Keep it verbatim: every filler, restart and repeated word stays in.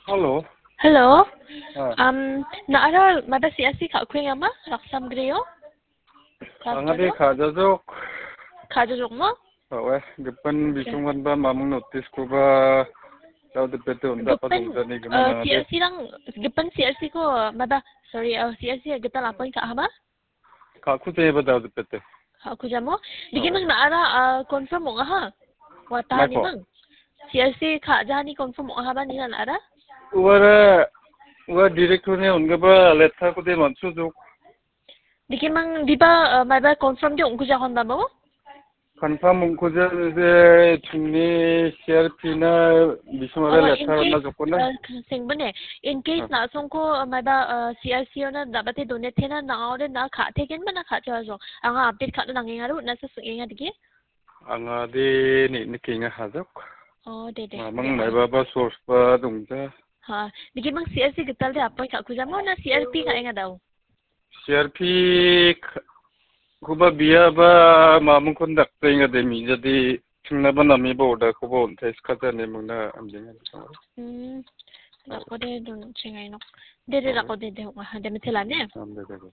Hello. Hello. Ah. Um, na·ara mada C R C ka·kuenga ma? Raksam Greo? Anga de ka·jajok. Ka·jajok ma? Awe, gipin bisongganba mamung notice-koba dao dipete unda apa dongdani gimana C R C rang, gipin C R C ko mada, sorry, uh, C R C gital appoint ka·aha ma? Ka·kujaba dao dipete. Ka·kujamo? Digi mang na·ara, ah, confirm ong·aha? Watani mang. C R C ka·jani confirm ong·ahaba nina na·ara? Uara, ua director-ni ong·gipa letter-kode man·sojok. Digi mang diba, ah, maiba confirm de ong·kujakonba mo? Confirm ong·kuja de chingni C R P na bismara letter na jokona. Sengbone, in case na·songko maiba, ah, C R C ona dabate donetena na·ore na ka·tegenba na ka·jawa jong. Anga update ka·na nangenga ro, na sa sengenga digi? Anga de ni nikenga hajok. Oh, de, de. Mamang maibaba source ba dongja. Ha, digi mang C R C gital de appoint ka·kujamo na C R P ka·enga dao? C R P k-, koba biaba mamungkon daktenga de mijadi chingnaba namiba order-koba on·tai skajani mingna amdenga. Hmm. Dakode don chingainok. De, de, dakode de, de, de, mitela ne? Am de, de, de.